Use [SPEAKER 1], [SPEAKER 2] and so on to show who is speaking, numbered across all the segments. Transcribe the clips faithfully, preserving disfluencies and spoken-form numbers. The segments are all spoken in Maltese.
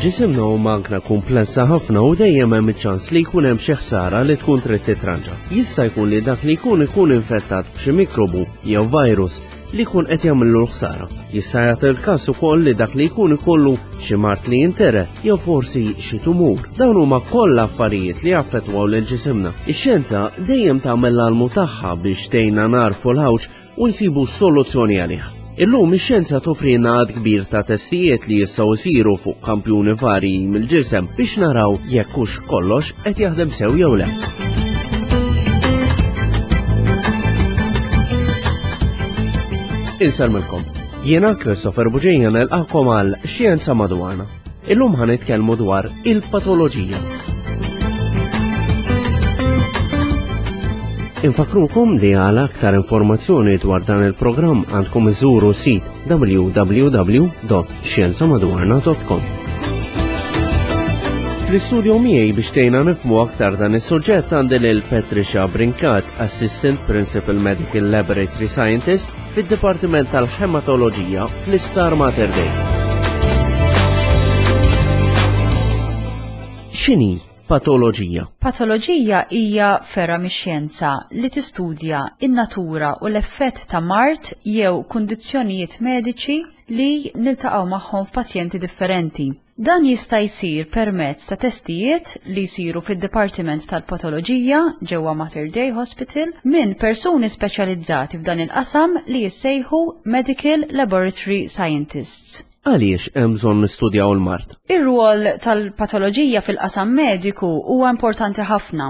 [SPEAKER 1] Ġisimna hu magna komplessa ħafna u dejjem hemm iċ-ċans li jkun hemm xi ħsara li tkun trid titranġa. Jista' jkun li dak li jkun ikun infettat b'xi mikrobu jew virus li jkun qed jagħmillu ħsara. Jista' jagħti l-każ ukoll li dak li jkun ikollu xi mard li jintiret jew forsi xi tumur. Dawn huma kollha affarijiet li jaffettwaw lil ġisimna. Ix-xjenza dejjem tagħmel l-almu tagħha biex tgħinna nagħrfu l-ħawġ u nsibu soluzzjoni għalih. Illum ix-xjenza toffrilna għadd kbir ta' testijiet li jistgħu jsiru fuq kampjuni varji mill-ġisem biex naraw jekk hux kollox qed jaħdem sew jew le. Insellmilkom. Jiena Christopher Buġija nilqakom għal Xjenza Madwarna. Illum ħa nitkellmu dwar il-patoloġija. Infakrukom li għal aktar informazzjoni dwar dan il-programm għandkom iżuru sit w w w dot xjenzamadwarna dot com. Fl-istudio miegħi biex tgħinna nifhmu aktar dan is-suġġett għandi lil Patricia Brincat, Assistant Principal Medical Laboratory Scientist fid-Dipartiment tal-Hematoloġija fl-Isptar Mater Dei. X'inhi patoloġija?
[SPEAKER 2] Patoloġija hija fergħa mix-xjenza li tistudja in-natura u l-effett ta' mard jew kundizzjonijiet mediċi li niltaqgħu magħhom f'pazjenti differenti. Dan jista' jsir permezz ta' testijiet li jsiru fid-Dipartiment tal-Patoloġija ġewwa Mater Dei Hospital minn persuni speċjalizzati f'dan il-qasam li jissejħu Medical Laboratory Scientists.
[SPEAKER 1] Għaliex hemm bżonn nistudjaw il-mard?
[SPEAKER 2] Ir-rwol tal-patoloġija fil-qasam mediku huwa importanti ħafna.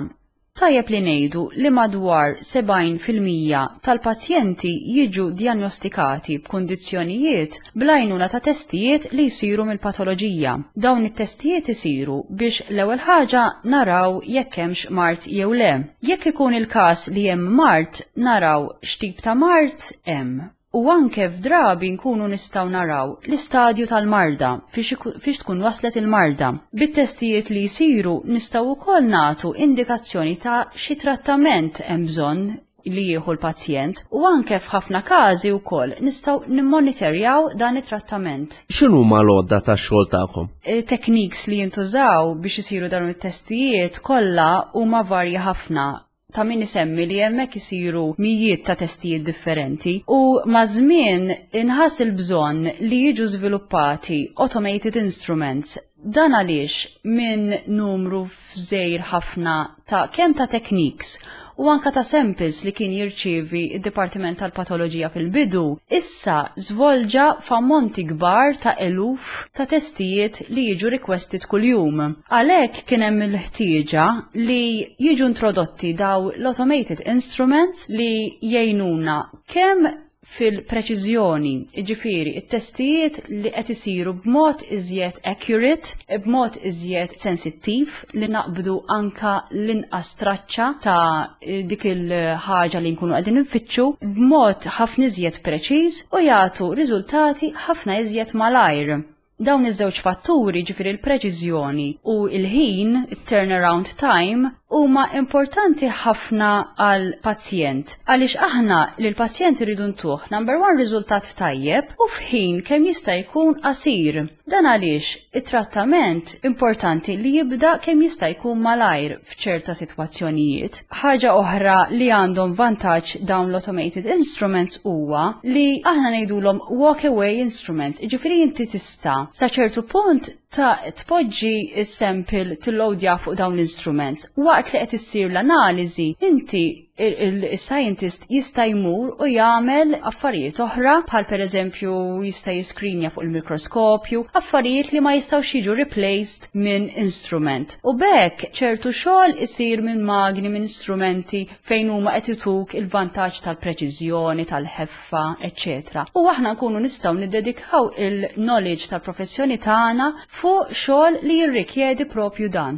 [SPEAKER 2] Tajjeb li ngħidu li madwar sebgħin fil-mija tal-pazjenti jiġu diagnostikati b'kundizzjonijiet bl-għajnuna ta' testijiet li jsiru mill-patoloġija. Dawn it-testijiet isiru biex l-ewwel ħaġa naraw jekk hemmx mard jew le. Jekk ikun il-każ li hemm mard, naraw x'tip ta' mard hemm. U anke f'drabi nkunu nistgħu naraw l-istadju tal-marda fiex iku-, fiex tkun waslet il-marda. Bit-testijiet li jsiru nistgħu wkoll nagħtu indikazzjoni ta' xi trattament hemm bżonn li jieħu l-pazjent u anke f'ħafna każi wkoll nistgħu nimmonitorjaw dan it-trattament.
[SPEAKER 1] X'inhuma l-għodda tax-xogħol tagħkom?
[SPEAKER 2] E, Techniques li jintużaw biex isiru dawn it-testijiet kollha huma varji ħafna. Ta' min isemmi li hemmhekk isiru mijiet ta' testijiet differenti u maż-żmien inħass il-bżonn li jiġu żviluppati automated instruments. Dan għaliex minn numru żgħir ħafna ta' kemm ta' techniques u anka ta' samples li kien jirċievi id-Dipartiment tal-Patoloġija fil-bidu, issa żvolġa f'ammonti kbar ta' eluf ta' testijiet li jiġu requested kuljum. Għalhekk kien hemm il-ħtieġa li jiġu introdotti daw l-automated instruments li jgħinuna kemm fil-preċiżjoni, jiġifieri it-testijiet li qed isiru b'mod iżjed accurate, b'mod iżjed sensittiv li naqbdu anka l-inqas traċċa ta' dik il-ħaġa li nkunu qegħdin nfittxu b'mod ħafna iżjed preċiż u jagħtu riżultati ħafna iżjed malajr. Dawn iż-żewġ fatturi, ġifieri l-preċiżjoni u l-ħin, it-turnaround time, huma importanti ħafna għal pazjent. Għaliex aħna lil pazjent irridu ntuh number one riżultat tajjeb u f'ħin kemm jista' jkun qasir. Dan għaliex it-trattament importanti li jibda kemm jista' jkun malajr f'ċerta sitwazzjonijiet. Ħaġa oħra li għandhom vantaġġ dawn l-automated instruments huwa li aħna ngħidulhom walk away instruments, jiġifieri inti tista' sa ċertu punt ta' tpoġġi s-sample tillowdja fuq dawn l-instruments. Waqt li qed issir l-analiżi, inti il-scientist jista' jmur u jagħmel affarijiet oħra, bħal pereżempju jista' jiskrinja fuq il-mikroskopju, affarijiet li ma jistgħux jiġu replaced minn instrument. U b'hekk ċertu xogħol isir minn magni, minn instrumenti fejn huma qed ituk il-vantaġġ tal-preċiżjoni, tal-ħeffa, eċċetera. U aħna nkunu nistgħu niddedikaw il-knowledge tal-professjoni tagħna fuq xogħol li jirrikjedi propju dan.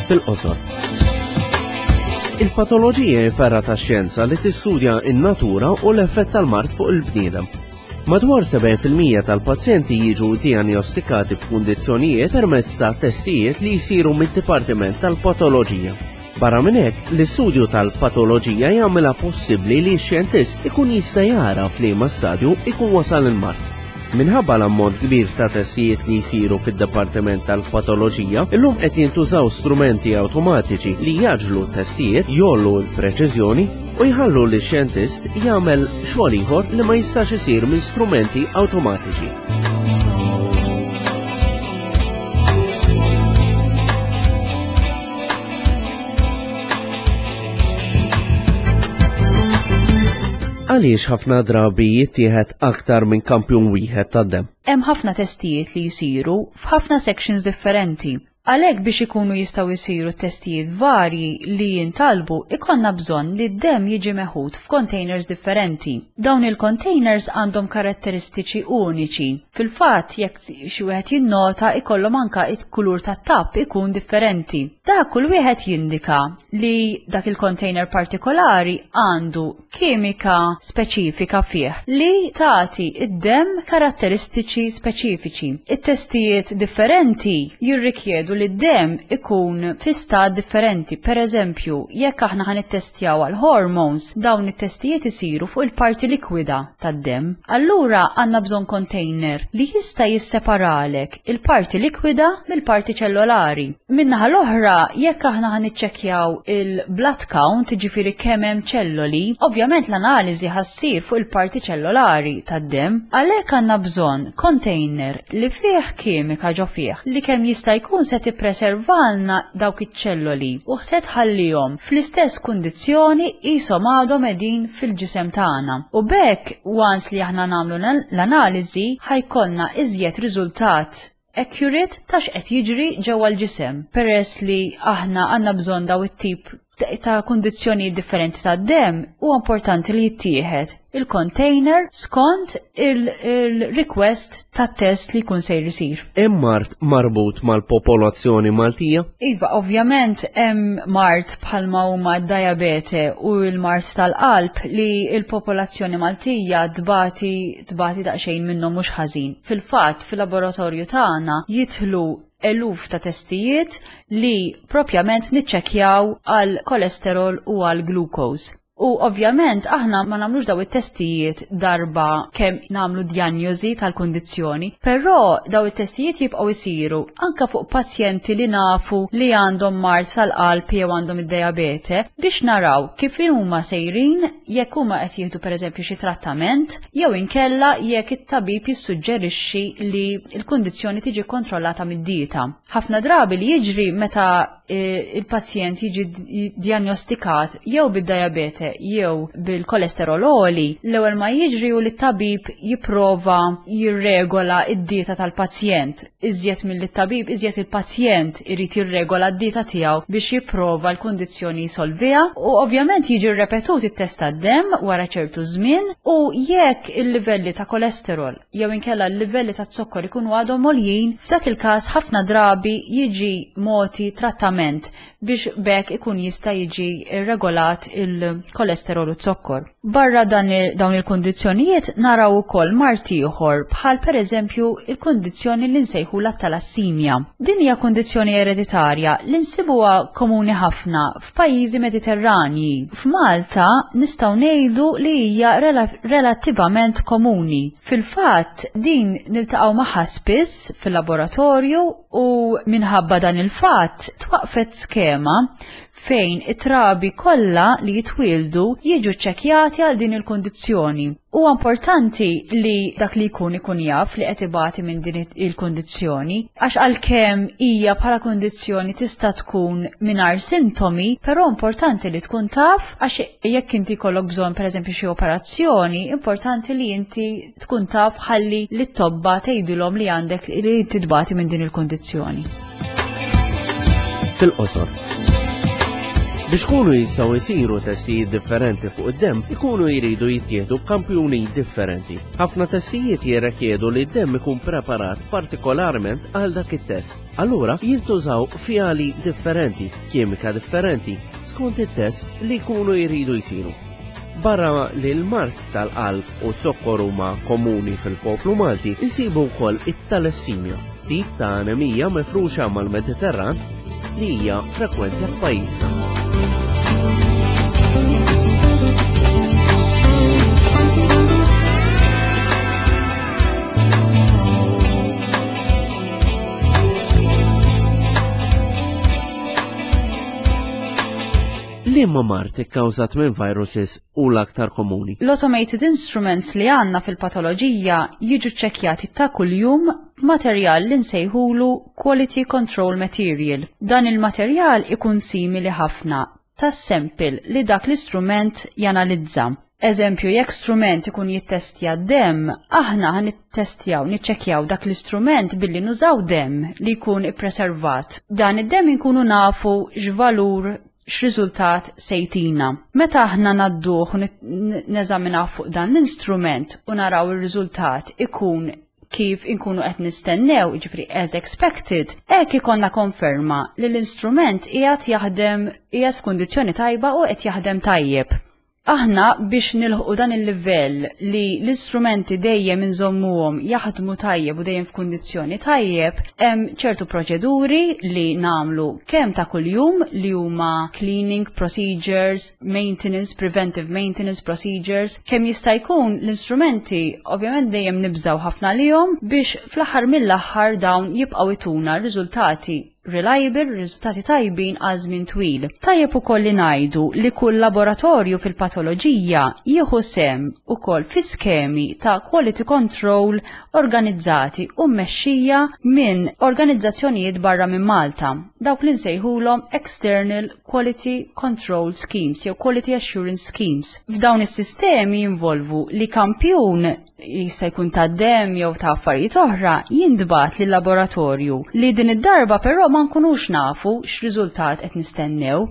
[SPEAKER 1] Fil-qosor. Il-patoloġija hi fergħa ta' xjenza li tistudja in-natura u l-effett tal-mard fuq il-bniedem. Madwar sebgħin fil-mija tal-pazjenti jiġu diagnostikati b'kundizzjonijiet permezz ta' testijiet li jsiru mid-Dipartiment tal-Patoloġija. Barra minn hekk, l-istudju tal-patoloġija jagħmilha possibbli li x-xjentist ikun jista' jara f'liema stadju ikun wasal il-mard. Minħabba l-ammont kbir ta' testijiet li jsiru fid-Dipartiment tal-Patoloġija, illum qed jintużaw strumenti awtomatiċi li jgħaġġlu t-testijiet, jgħollu l-preċiżjoni u jħallu li xjentist jagħmel xogħol ieħor li ma jistax isir minn strumenti awtomatiċi. Għaliex ħafna drabi jittieħed aktar minn kampjun wieħed tad-demm?
[SPEAKER 2] Hemm ħafna testijiet li jsiru f'ħafna sections differenti. Għalhekk biex ikunu jistgħu jsiru testijiet varji li jintalbu, ikollna bżonn li d-demm jiġi meħud f'containers differenti. Dawn il-containers għandhom karatteristiċi uniċi. Fil-fatt, jekk xi wieħed jinnota, ikollhom anka il-kulur tat-tapp ikun differenti. Dak kull wieħed jindika li dak il-container partikolari għandu kimika speċifika fih li tagħti id-demm karatteristiċi speċifiċi. It-testijiet differenti jirrikjedu li d-demm ikun fi stat differenti. Per eżempju, jekk aħna ħa nittestjaw għal hormones, dawn it-testijiet isiru fuq il-parti likwida tad-demm. Allura għandna bżonn container li jista' jisseparalek il-parti likwida mill-parti ċellulari. Min-naħa l-oħra, jekk aħna ħa niċċekkjaw il-blood count, jiġifieri kemm hemm ċelloli, ovvjament l-analiżi ħa ssir fuq il-parti ċellulari tad-demm. Għalhekk għandna bżonn container li fih kimika ġo fih li kemm jista' jkun se tippreservalna dawk iċ-ċelloli u se tħallihom fl-istess kundizzjoni qishom għadhom qegħdin fil-ġisem tagħna. U b'hekk once li aħna nagħmlu l-analiżi ħa jkollna iżjed riżultat accurate ta' x'qed jiġri ġewwa l-ġisem. Peress li aħna għandna bżonn daw it-tip ta' kundizzjoni differenti ta' demm, huwa importanti li jittieħed il-container skont il-request ta' test li jkun sejr isir.
[SPEAKER 1] Hemm mard marbut mal-popolazzjoni Maltija?
[SPEAKER 2] Iva, ovvjament hemm mard bħalma huma d-diabete u l-mard tal-qalb li l-popolazzjoni Maltija tbati tbati daqsxejn minnhom mhux ħażin. Fil-fatt, fil-laboratorju tagħna jidħlu eluf ta' testijiet li propjament niċċekkjaw għal kolesterol u għal glucose. U ovvjament aħna ma nagħmlux daw it-testijiet darba kemm nagħmlu diagnosi tal-kundizzjoni, però daw it-testijiet jibqgħu jsiru anka fuq pazjenti li nafu li għandhom mard tal-qalb jew għandhom id-diabete biex naraw kif huma sejrin, jekk huma qed jieħdu pereżempju xi trattament jew inkella jekk it-tabib jissuġġerixxi li l-kundizzjoni tiġi kontrollata mid-dieta. Ħafna drabi li jiġri meta il-pazjent jiġi diagnostikat jew bid-diabete jew bil-kolesterol għoli, l-ewwel ma jiġri u li t-tabib jipprova jirregola id-dieta tal-pazjent. Iżjed mill-tabib, iżjed il-pazjent irid jirregola d-dieta tiegħu biex jipprova l-kundizzjoni jsolviha, u ovvjament jiġi rrepetut it-test tad-demm wara ċertu żmien, u jekk il-livelli ta' kolesterol jew inkella l-livelli ta' zokkor ikunu għadhom għoljin, f'dak il-każ ħafna drabi jiġi moti trattament biex b'hekk ikun jista' jiġi regolat il-kolesterol u zokkor. Barra dan il-, dawn il-kundizzjonijiet naraw ukoll mard ieħor bħal pereżempju il-kundizzjoni li nsejħu la talassimja. Din hija kundizzjoni ereditarja li nsibuha komuni ħafna f'pajjiżi Mediterranji. F'Malta nistgħu ngħidu li hija rela-, relattivament komuni. Fil-fatt din niltaqgħu magħha spiss fil-laboratorju u minħabba dan il-fatt twaqfet skema fejn it-trabi kollha li jitwieldu jiġu ċċekkjati għal din il-kundizzjoni. Huwa importanti li dak li jkun ikun jaf li qed ibati minn din il-kundizzjoni, għax għalkemm hija bħala kundizzjoni tista' tkun mingħajr sintomi, però importanti li tkun taf għax jekk inti jkollok bżonn pereżempju xi operazzjoni, importanti li inti tkun taf ħalli li t-tobba tgħidilhom li għandek li inti tbati minn din il-kundizzjoni.
[SPEAKER 1] Fil-qosor. Biex kunu jistgħu jsiru testijiet differenti fuq id-demm, ikunu jridu jittieħdu kampjuni differenti. Ħafna testijiet jirrikjedu li d-demm ikun preparat partikolarment għal dak it-test. Allura jintużaw fjali differenti, kimika differenti, skont it-test li jkunu jridu jsiru. Barra li l-mard tal-qalb u zokkor huma komuni fil-poplu Malti, insibu wkoll it-talassimja, tip ta' anemija mifruxa mal-Mediterran li hija frekwenti f'pajjiżna. Liema mard ikkawżat minn viruses hu l-aktar komuni?
[SPEAKER 2] L-automated instruments li għandna fil-patoloġija jiġu ċċekkjati ta' kuljum materjal li nsejħulu quality control material. Dan il-materjal ikun simili ħafna tas-sample li dak l-istrument janalizza. Eżempju, jekk strument ikun jittestja dem, aħna ħa nittestjaw, niċċekkjaw dak l-istrument billi nużaw dem li jkun ippreservat. Dan id-dem inkunu nafu x'valur, x'riżultat se jtina. Meta aħna ngħadduh u neżaminaw fuq dan l-instrument u naraw ir-riżultat ikun kif inkunu qed nistennew, jiġifieri as expected, hekk ikollna konferma li l-instrument qiegħed jaħdem, qiegħed f'kundizzjoni tajba u qed jaħdem tajjeb. Aħna biex nilħqu dan il-livell li l-istrumenti dejjem inżommuhom jaħdmu tajjeb u dejjem f'kundizzjoni tajjeb, hemm ċertu proċeduri li nagħmlu kemm ta' kuljum li huma cleaning procedures, maintenance, preventive maintenance procedures, kemm jista' jkun l-istrumenti ovvjament dejjem nibżaw ħafna lihom biex fl-aħħar mill-aħħar dawn jibqgħu jtuna riżultati reliable, riżultati tajbin għal żmien twil. Tajjeb ukoll li ngħidu li kull laboratorju fil-patoloġija jieħu sehem ukoll fi skemi ta' quality control organizzati u mmexxija minn organizzazzjonijiet barra minn Malta, dawk li nsejħulhom External Quality Control Schemes jew Quality Assurance Schemes. F'dawn is-sistemi jinvolvu li kampjun, jista' jkun ta' dem jew ta' affarijiet oħra, jintbagħat lil laboratorju li din id-darba però ma nkunux nafu x'riżultat qed nistennew.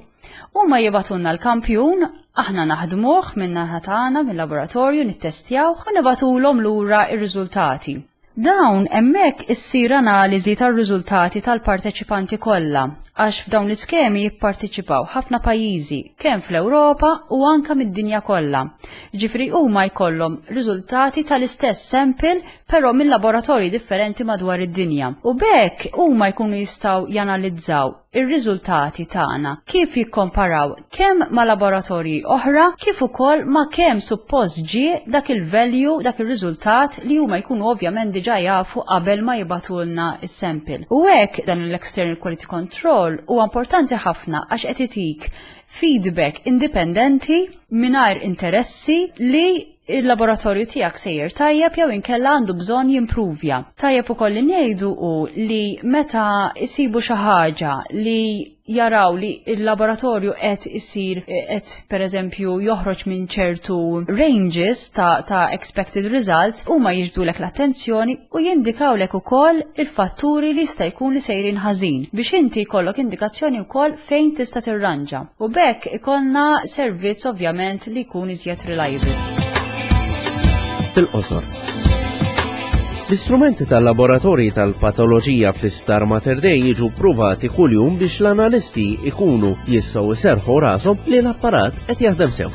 [SPEAKER 2] Huma jibagħtulna l-kampjun, aħna naħdmuh min-naħa tagħna mill-laboratorju, nittestjawh u nibagħtulhom lura r-riżultati. Dawn hemmhekk issir analiżi tar-riżultati tal-parteċipanti kollha, għax f'dawn l-iskemi jipparteċipaw ħafna pajjiżi, kemm fl-Ewropa u anka mid-dinja kollha. Ġifieri huma jkollhom riżultati tal-istess sample però minn laboratorji differenti madwar id-dinja. U b'hekk huma jkunu jistgħu janalizzaw ir-riżultati tagħna kif jikkomparaw kemm ma' laboratorji oħra kif ukoll ma' kemm suppost ġie dak il-value, dak ir-riżultat li huma jkunu ovvjament diġà jafu qabel ma jibagħtulna is-sample. U hekk dan l-external quality control huwa importanti ħafna għax qed itik feedback indipendenti mingħajr interessi li il-laboratorju tiegħek sejjer tajjeb jew inkella għandu bżonn jimpruvja. Tajjeb ukoll li ngħidu u li meta isibu xi ħaġa li jaraw li il-laboratorju qed isir qed pereżempju joħroġ minn ċertu ranges ta', ta expected results, huma jiġbdulek l-attenzjoni u jindikawlek ukoll il-fatturi li jista' jkun li sejrin ħażin biex inti jkollok indikazzjoni wkoll fejn tista' tirranġa. U b'hekk ikollna servizz ovvjament li jkun iżjed reliable.
[SPEAKER 1] Fil-qosor. L-istrumenti tal-laboratorji tal-patoloġija fl-Isptar Mater Dei jiġu ppruvati kuljum biex l-analisti ikunu jistgħu jserrħu rashom li l-apparat qed jaħdem sew.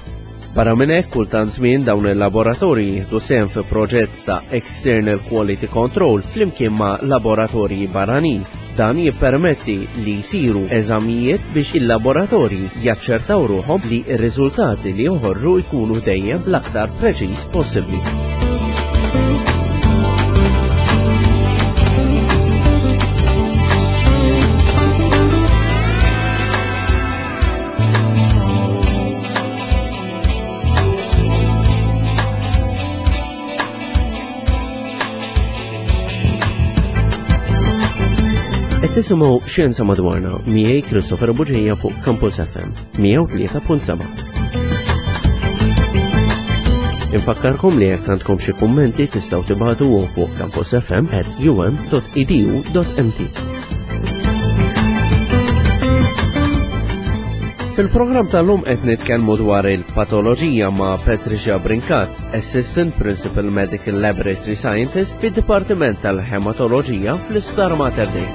[SPEAKER 1] Barra minn hekk, kultant żmien dawn il-laboratorji jieħdu sehem fi proġett ta' External Quality Control flimkien ma' laboratorji barranin. Dan jippermetti li jsiru eżamijiet biex il-laboratorji jaċċertaw ruħhom li r-riżultati li joħorġu jkunu dejjem l-aktar preċiż possibbli. Tisimgħu Xjenza Madwarna miegħi Christopher Bugeja fuq Campus F M mija u tlieta punt seba'. Infakkarkom li jekk għandkom xi kummenti tistgħu tibagħtu fuq campusfm at um dot edu dot M T. Fil-programm tal-lum qed nitkellmu dwar il-patoloġija ma' Patricia Brincat, Assistant Principal Medical Laboratory Scientist fid-Dipartiment tal-Hematoloġija fl-Isptar Mater Dei.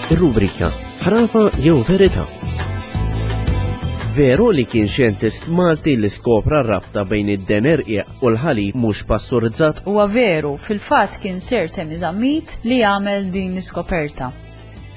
[SPEAKER 1] Ir-rubrika Ħrafa jew Verità. Veru li kien xjentist Malti li skopra rabta bejn id-deni rqiq u l-ħalib mhux pasturizzat?
[SPEAKER 2] Huwa veru, fil-fatt kien Sir Temi Zammit li għamel din l-iskoperta.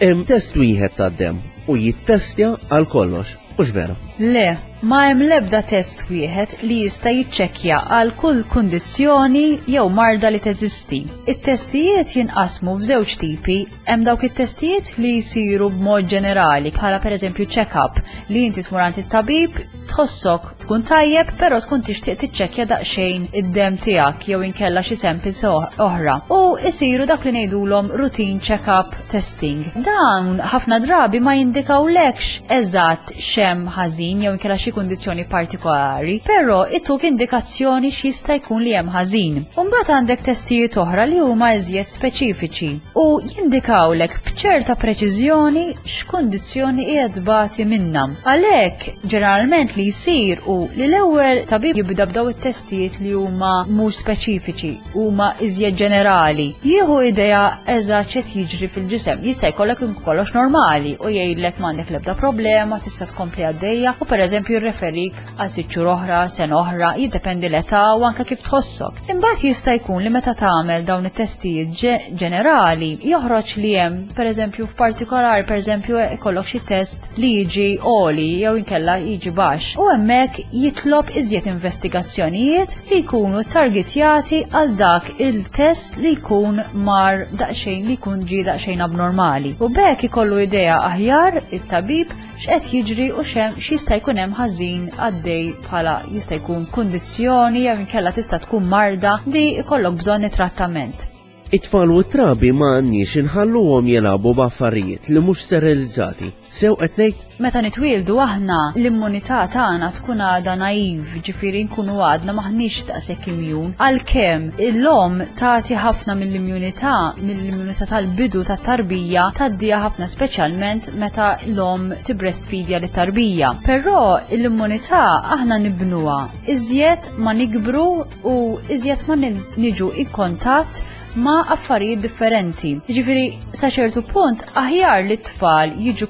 [SPEAKER 1] Hemm test wieħed tad-dem u jittestja għal kollox, hux vera?
[SPEAKER 2] Le, ma hemm l-ebda test wieħed li jista' jiċċekkja għal kull kundizzjoni jew marda li teżisti. It-testijiet jinqasmu f'żewġ tipi, hemm dawk it-testijiet li jsiru b'mod ġenerali, bħala pereżempju check-up li inti tmur għand it-tabib, tħossok tkun tajjeb, però tkun tixtieq tiċċekkja daqsxejn id-dem tiegħek jew inkella xi samples oħra. U jsiru dak li ngħidulhom routine check-up testing. Dawn ħafna drabi ma jindikawlekx eżatt x'hemm ħażin jew inkella xi kundizzjoni partikolari, però ituk indikazzjoni x'jista' jkun li hemm ħażin. U mbagħad għandek testijiet oħra li huma iżjed speċifiċi u jindikawlek b'ċerta preċiżjoni x'kundizzjoni qiegħed tbati minnha. Għalhekk ġeneralment li jsir hu li l-ewwel tabib jibda b'daw it-testijiet li huma mhux speċifiċi, huma iżjed ġenerali. Jieħu idea eżatt x'qed jiġri fil-ġisem. Jista' jkollok kollox normali u jgħidlek m'għandek l-ebda problema, tista' tkompli għaddejja u pereżempju jirreferik għal sitt xhur oħra, sena oħra, jiddependi l-età u anke kif tħossok. Imbagħad jista' jkun li meta tagħmel dawn it-testijiet ġenerali joħroġ li hemm pereżempju f'partikolari pereżempju ikollok xi test li jiġi għoli jew inkella jiġi baxx u hemmhekk jitlob iżjed investigazzjonijiet li jkunu targetjati għal dak il-test li jkun mar daqsxejn li jkun ġie daqsxejn abnormali. U b'hekk ikollu idea aħjar it-tabib x'qed jiġri u xem x'jista' jkun hemm ħażin għaddej bħala jista' jkun kundizzjoni jew inkella tista' tkun marda li jkollok bżonn trattament.
[SPEAKER 1] It-tfal u t-trabi ma għandniex inħalluhom jilagħbu b'affarijiet li mhux sterilizzati. Sew qed ngħid?
[SPEAKER 2] Meta nitwieldu aħna l-immunità tagħna tkun għadha naive, ġifieri nkunu għadna maħniex daqshekk immune. Għalkemm l-omm tagħti ħafna mill-immunità, mill-immunità tal-bidu tat-tarbija tgħaddiha ħafna speċjalment meta l-omm tibreastfeedja lit-tarbija. Però l-immunità aħna nibnuha iżjed ma nikbru u iżjed ma niġu in kontatt ma' affarijiet differenti. Ġifieri, sa ċertu punt, aħjar li t-tfal jiġu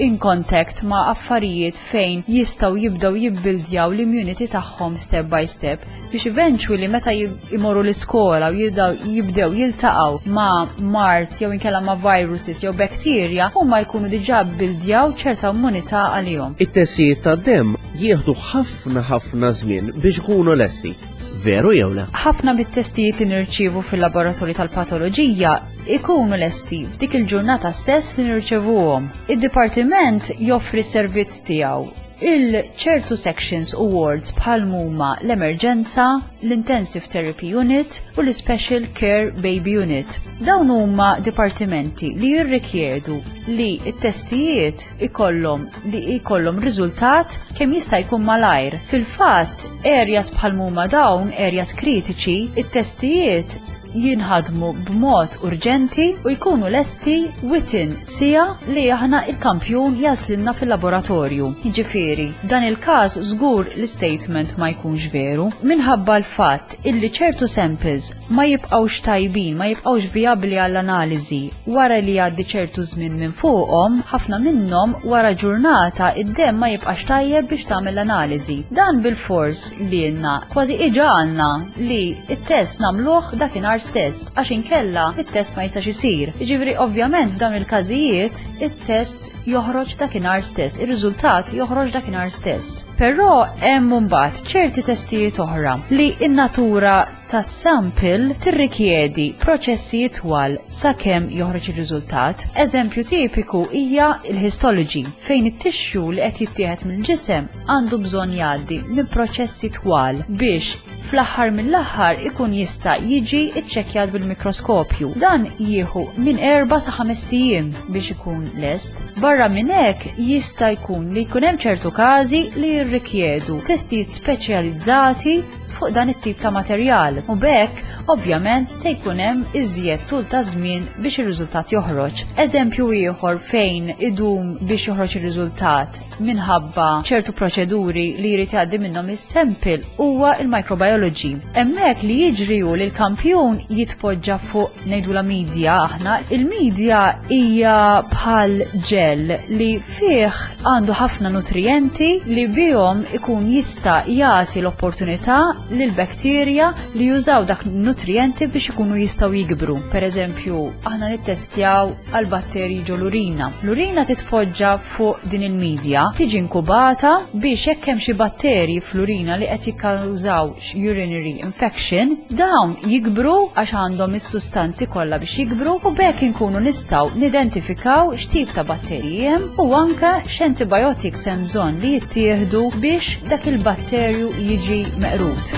[SPEAKER 2] in contact ma' affarijiet fejn jistgħu jibdew jibbildjaw l-immunity tagħhom step by step biex eventually meta jimorru l-iskola u jibdew jiltaqgħu ma' mard jew inkella ma' viruses jew bacteria, huma jkunu diġà bbildjaw ċerta immunità għalihom.
[SPEAKER 1] It-testijiet tad-demm jieħdu ħafna ħafna żmien biex ikunu lesti. Veru jew le?
[SPEAKER 2] Ħafna bit-testijiet li nirċievu fil-laboratorju tal-patoloġija ikunu lesti f'dik il-ġurnata stess li nirċevuhom. Id-dipartiment joffri servizz tiegħu il-ċertu sections u wards bħal huma l-emerġenza, l-Intensive Therapy Unit u l-Special Care Baby Unit. Dawn huma dipartimenti li jirrikjedu li t-testijiet ikollhom li ikollhom riżultat kemm jista' jkun malajr. Fil-fatt, areas bħal huma dawn, areas kritiċi, it-testijiet jinħadmu b'mod urġenti u jkunu lesti within siegħa li aħna il-kampjun jaslinna fil-laboratorju. Jiġifieri, dan il-każ żgur l-statement ma jkunx veru minħabba l-fatt illi ċertu samples ma jibqgħux tajbin, ma jibqgħux viabli għall-analiżi wara li jgħaddi ċertu żmien minn fuqhom, ħafna minnhom wara ġurnata id-demm ma jibqax tajjeb biex tagħmel l-analiżi. Dan bil-fors li jenna kważi iġagħalna li it-test nagħmluh dakinhar stess, għax inkella it-test ma jistax isir. Jiġifieri ovvjament f'dawn il-każijiet it-test joħroġ dakinhar stess, ir-riżultat joħroġ dakinhar stess. Però hemm mbagħad ċerti testijiet oħra li n-natura tas-sample tirrikjedi proċessi twal sakemm joħroġ ir-riżultat. Eżempju tipiku hija l-histology, fejn it-tissue li qed jittieħed mill-ġisem għandu bżonn jgħaddi minn proċessi twal biex fl-aħħar mill-aħħar ikun jista' jiġi iċċekkjat bil-mikroskopju. Dan jieħu minn erba' sa ħames ijiem biex ikun lest. Barra minn hekk jista' jkun li jkun hemm ċertu każi li jirrikjedu testijiet speċjalizzati fuq dan it-tip ta' materjal. U b'hekk ovvjament se jkun hemm iżjed tul ta' żmien biex ir-riżultat joħroġ. Eżempju ieħor fejn idum biex joħroġ ir-riżultat minħabba ċertu proċeduri li jrid jgħaddi minnhom is-sample huwa il-microbiology. Hemmhekk li jiġri hu li l-kampjun jitpoġġa fuq, ngħidula media aħna. Il-media hija bħal gel li fih għandu ħafna nutrienti li bihom ikun jista' jagħti l-opportunità lil bakterja li jużaw dak nutrienti biex ikunu jistgħu jikbru. Per eżempju, aħna nittestjaw għal batterji ġo l-urina. L-urina titpoġġa fuq din il-media, tiġi inkubata biex jekk hemm xi batterji fl-urina li qed jikkawżaw urinary infection, dawn jikbru għax għandhom is-sustanzi kollha biex jikbru, u b'hekk inkunu nistgħu nidentifikaw x'tip ta' batterji hemm u anke x'antibiotics hemm bżonn li jittieħdu biex dak il-batterju jiġi meqrud.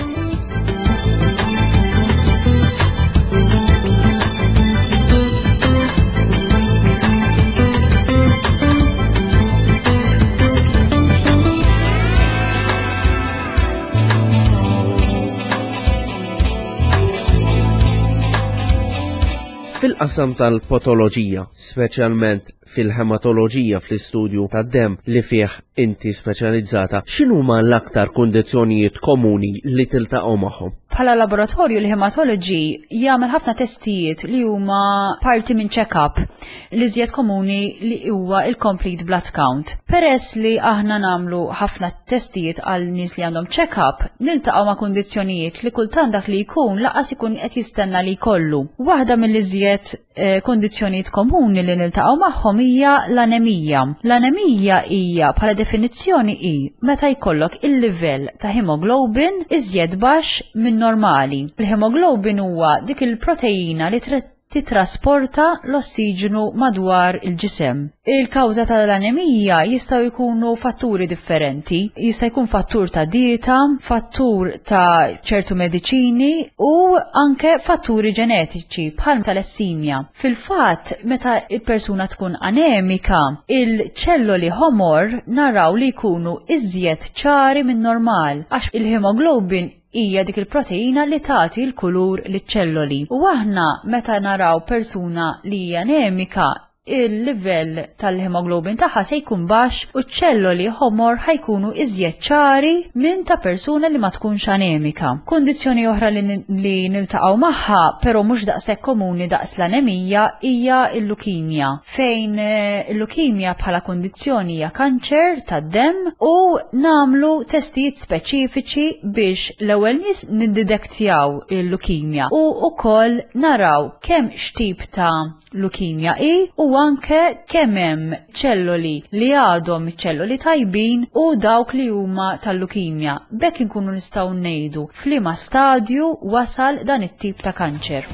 [SPEAKER 1] Fil-qasam tal-patoloġija, speċjalment fil-hematoloġija, fl-istudju tad-dem li fih inti speċjalizzata, x'inhuma l-aktar kundizzjonijiet komuni li tiltaqgħu magħhom?
[SPEAKER 2] Bħala laboratorju, l-hematology jagħmel ħafna testijiet li huma parti minn check-up, li iżjed komuni li huwa il-complete blood count. Peress li aħna nagħmlu ħafna testijiet għal nies li għandhom check-up, niltaqgħu ma' kundizzjonijiet li kultant dak li jkun lanqas ikun qed jistenna li jkollu. Waħda mill-iżjed eh, kundizzjonijiet komuni li niltaqgħu magħhom hija l-anemija. L-anemija hija bħala definizzjoni hi meta jkollok il-livell ta' hemoglobin iżjed baxx minn normali. Il-hemoglobin huwa dik il-proteina li titrasporta l-ossiġenu madwar il-ġisem. Il-kawża tal-anemija jistgħu jkunu fatturi differenti. Jista' jkun fattur ta' dieta, fattur ta' ċertu mediċini u anke fatturi ġenetiċi bħal talassemia. Fil-fatt, meta il-persuna tkun anemika, il-ċelloli ħomor naraw li jkunu iżjed ċari minn normal għax il-hemoglobin hija dik il-proteina li tagħti l-kulur liċ-ċelloli. U aħna meta naraw persuna li hija anemika, il-livell tal-hemoglobin tagħha se jkun baxx u ċ-ċelloli ħomor ħa jkunu iżjed ċari minn ta' persuna li ma tkunx anemika. Kundizzjoni oħra li, li niltaqgħu magħha, però mhux daqshekk komuni daqs l-anemija, hija l-lukimja, fejn eh, l-lukimja bħala kundizzjoni hija kanċer tad-demm u nagħmlu testijiet speċifiċi biex l-ewwel nies niddetektjaw il-lukimja u wkoll naraw kemm x'tip ta' lukimja hi u anke kemm hemm ċelloli li għadhom ċelloli tajbin u dawk li huma tal-lukimja. B'hekk inkunu nistgħu ngħidu f'liema stadju wasal dan it-tip ta' kanċer.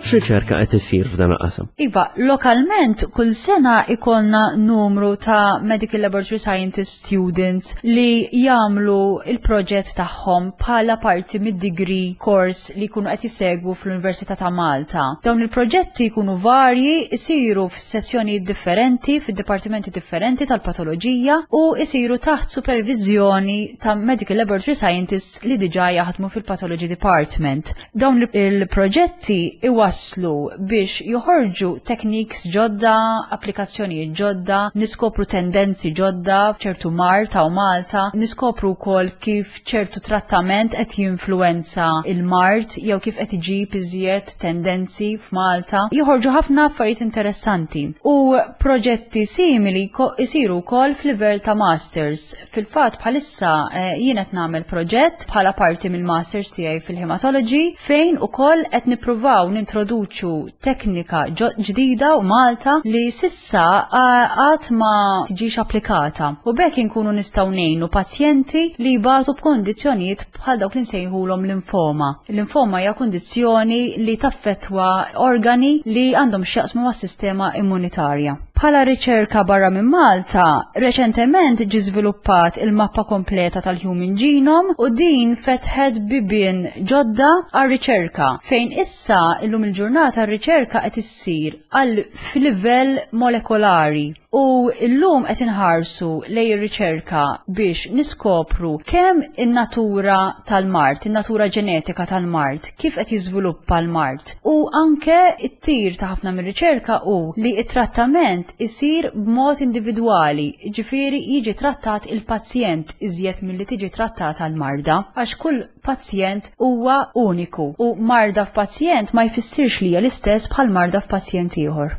[SPEAKER 1] X'riċerka qed isir f'dan il-qasam?
[SPEAKER 2] Iva, lokalment kull sena ikollna numru ta' Medical Laboratory Scientist students li jagħmlu il-proġett tagħhom bħala parti mid-degree course li jkunu qed jisegwu fl-Università ta' Malta. Dawn il-proġetti jkunu varji, isiru f'sezzjonijiet differenti, fid-dipartimenti differenti tal-patoloġija u isiru taħt supervizjoni ta' Medical Laboratory Scientists li diġà jaħdmu fil-Pathology Department. Dawn il-proġetti iwasslu biex joħorġu techniques ġodda, applikazzjonijiet ġodda, niskopru tendenzi ġodda f'ċertu mard ta' Malta, niskopru wkoll kif ċertu trattament qed jinfluwenza il-mard jew kif qed iġib iżjed tendenzi f'Malta. Joħorġu ħafna affarijiet interessanti. U proġetti simili isiru wkoll f'livell ta' masters. Fil-fatt bħalissa eh, jien qed nagħmel proġett bħala parti mill-masters tiegħi fil-hematology fejn ukoll qed nippruvaw nintroduċu teknika ġdida u Malta li s'issa għad ma tiġix applikata. U b'hekk inkunu nistgħu ngħinu pazjenti li jbatu b'kondizzjonijiet bħal dawk li nsejħulhom limfoma. Limfoma hija kondizzjoni li taffettwa organi li għandhom x'jaqsmu mas-sistema immunitarja. Bħala riċerka barra minn Malta, reċentement ġie żviluppat il-mappa kompleta tal-Human Genome u din fetħet bibien ġodda għar-riċerka, fejn issa illum il-ġurnata r-riċerka qed issir għal f'livell molekolari. U llum qed inħarsu lejn ir-riċerka biex niskopru kemm in-natura tal-mard, in-natura ġenetika tal-mard, kif qed jiżviluppa l-mard. U anke t-tir ta' ħafna mir-riċerka hu li t-trattament isir b'mod individwali, ġifieri jiġi trattat il-pazjent iżjed milli tiġi trattata l-marda, għax kull pazjent huwa uniku u marda f'pazjent ma jfissirx li hija l-istess bħal marda f'pazjent ieħor.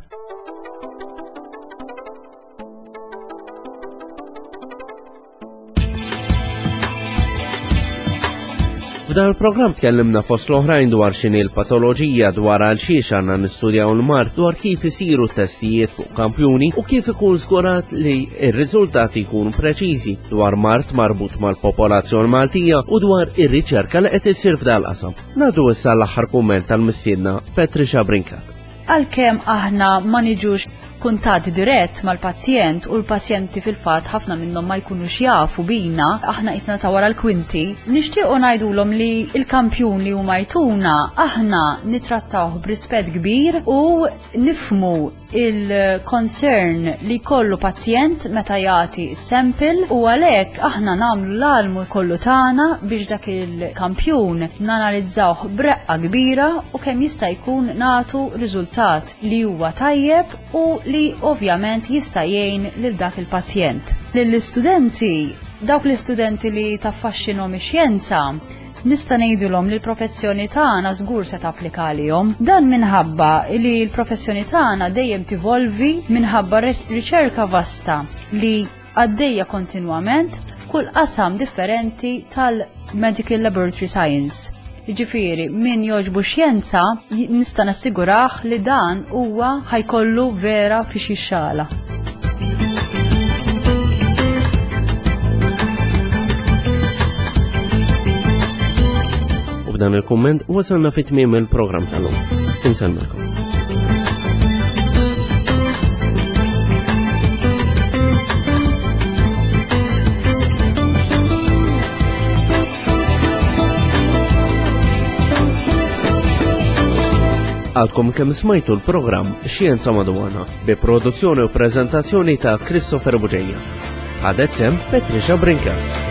[SPEAKER 1] F'dan il-programm tkellimna fost l-oħrajn dwar x'inhi l-patoloġija, dwar għal xiex għandna nistudjaw l-mard, dwar kif isiru testijiet fuq kampjuni u kif ikun żgurat li r-riżultati jkunu preċiżi, dwar mard marbut mal-popolazzjoni Maltija u dwar ir-riċerka li qed issir f'dan il-qasam. Nagħdu issa l-aħħar kumment tal-mistiedna Patricia Brincat.
[SPEAKER 2] Għalkemm aħna ma niġux kuntatt dirett mal-pazjent u l-pazjenti fil-fatt ħafna minnhom ma jkunux jafu bina, aħna qisna ta' wara l-kwinti, nixtiequ ngħidulhom li l-kampjun li huma jtuna aħna nittrattawh b'rispett kbir u nifhmu il-concern li kollu pazjent meta jagħti sample u għalhekk aħna nagħmlu l-almu kollu tagħna biex dak il-kampjun nanalizzawh b'reqqa kbira u kemm jista' jkun nagħtu riżultat li huwa tajjeb u li ovvjament jista' jgħin lil dak il-pazjent. Lill-istudenti, dawk l-istudenti li taffaxxinhom ix-xjenza, nista' ngħidulhom li l-professjoni tagħna żgur se tapplika għalihom. Dan minħabba li l-professjoni tagħna dejjem tivolvi minħabba riċerka vasta li għaddejja kontinwament f'kull qasam differenti tal-Medical Laboratory Science. Jiġifieri, min jogħġbu xjenza nista' nassigurah li dan huwa ħajkollu vera fi xi xala.
[SPEAKER 1] U b'dan il-kumment wasalna fi tmiem il-programm tal-lum. Insellmilkom. Għadkom kemm smajtu l-programm Xjenza Madwarna bi produzzjoni u preżentazzjoni ta' Christopher Bugeja. Ħadet sem Patricia Brincat.